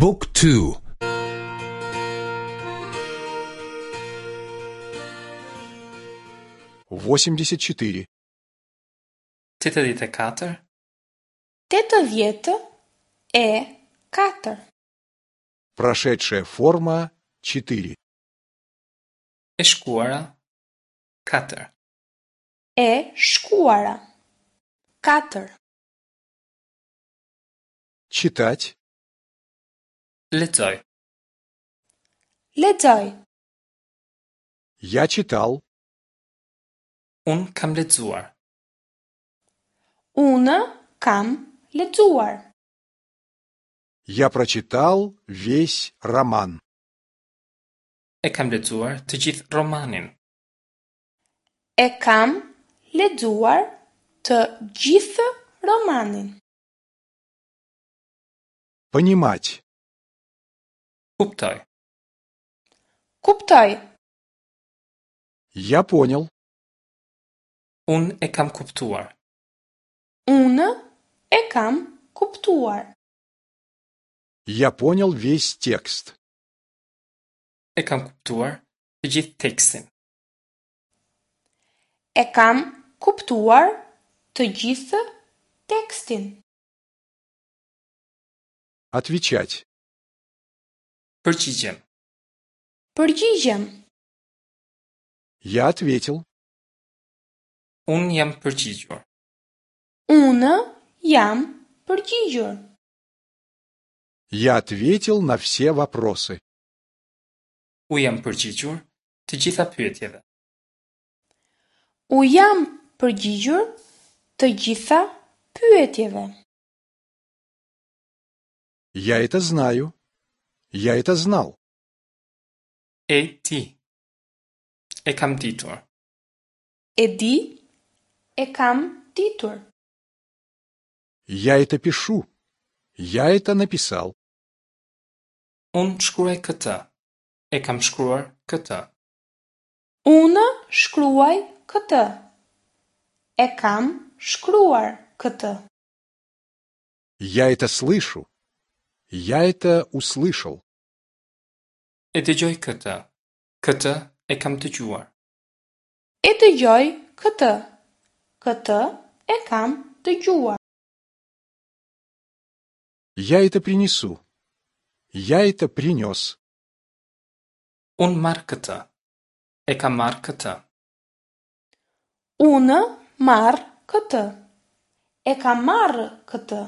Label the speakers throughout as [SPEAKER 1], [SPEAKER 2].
[SPEAKER 1] บุ๊กทู
[SPEAKER 2] 84.
[SPEAKER 3] 84.
[SPEAKER 4] 84.
[SPEAKER 2] Прошедшая форма 4.
[SPEAKER 3] E shkuara 4.
[SPEAKER 4] E shkuara. 4.
[SPEAKER 2] Читать.
[SPEAKER 3] Lexoj.
[SPEAKER 4] Lexoj.
[SPEAKER 2] Я читал.
[SPEAKER 3] Unë kam lexuar.
[SPEAKER 4] Unë kam lexuar.
[SPEAKER 2] Я прочитал весь роман.
[SPEAKER 3] E kam lexuar të gjithë romanin.
[SPEAKER 4] E kam lexuar të gjithë romanin.
[SPEAKER 2] Понимать.
[SPEAKER 3] Kuptoj.
[SPEAKER 4] Kuptoj.
[SPEAKER 2] Я понял.
[SPEAKER 3] Unë e kam kuptuar.
[SPEAKER 4] Unë e kam kuptuar.
[SPEAKER 2] Я понял весь текст.
[SPEAKER 3] E kam kuptuar të gjithë tekstin.
[SPEAKER 4] E kam kuptuar të gjithë tekstin.
[SPEAKER 2] Отвечать.
[SPEAKER 3] Përgjigjem.
[SPEAKER 4] Përgjigjem.
[SPEAKER 2] Я ответил.
[SPEAKER 3] Unë jam përgjigjur.
[SPEAKER 4] Unë jam përgjigjur.
[SPEAKER 2] Я ответил на все вопросы.
[SPEAKER 3] U jam përgjigjur të gjitha pyetjeve.
[SPEAKER 4] U jam përgjigjur të gjitha pyetjeve.
[SPEAKER 2] Я это знаю. Я это знал.
[SPEAKER 3] E di. E kam ditur.
[SPEAKER 4] E di, e kam ditur.
[SPEAKER 2] Я это пишу. Я это написал.
[SPEAKER 3] Unë shkruaj këtë. E kam shkruar këtë.
[SPEAKER 4] Unë shkruaj këtë. E kam shkruar këtë.
[SPEAKER 2] Я это слышу. Я это услышал.
[SPEAKER 3] E dëgjoj këtë. Këtë e kam dëgjuar.
[SPEAKER 4] E dëgjoj këtë. Këtë e kam dëgjuar.
[SPEAKER 2] Я это принесу. Я это принес.
[SPEAKER 3] Unë marr këtë. E kam marrë këtë.
[SPEAKER 4] Unë marr këtë. E kam marrë këtë.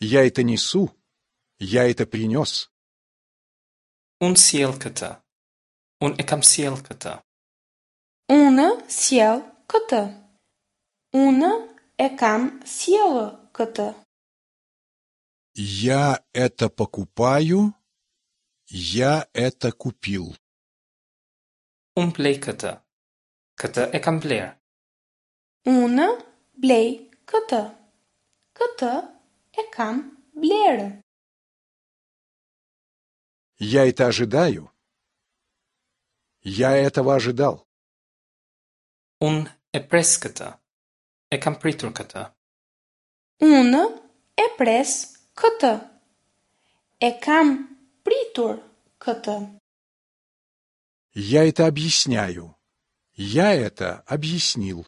[SPEAKER 2] Я это несу. Я это принес.
[SPEAKER 3] Unë sjell këtë. Unë e kam sjell këtë.
[SPEAKER 4] Unë sjell këtë. Unë e kam sjellë këtë.
[SPEAKER 2] Я это покупаю. Я это купил.
[SPEAKER 3] Unë blej këtë. Këtë e kam bler.
[SPEAKER 4] Unë blej këtë. Këtë e kam blerë.
[SPEAKER 2] Я это ожидаю. Я этого ожидал.
[SPEAKER 3] Unë e pres këtë. E kam pritur këtë.
[SPEAKER 4] Unë e pres këtë. E kam pritur këtë.
[SPEAKER 2] Я это объясняю. Я это объяснил.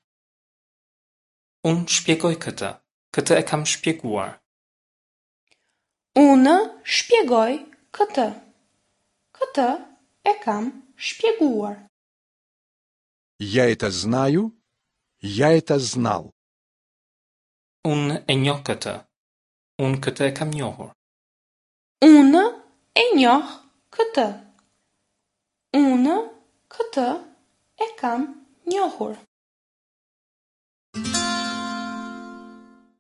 [SPEAKER 3] Unë shpjegoj këtë. Këtë e kam shpjeguar.
[SPEAKER 4] Unë shpjegoj këtë. Këtë e kam shpjeguar.
[SPEAKER 2] Я это знаю. Я это знал.
[SPEAKER 3] Unë e njoh këtë. Unë këtë e kam njohur.
[SPEAKER 4] Unë e njoh këtë. Unë këtë e kam njohur.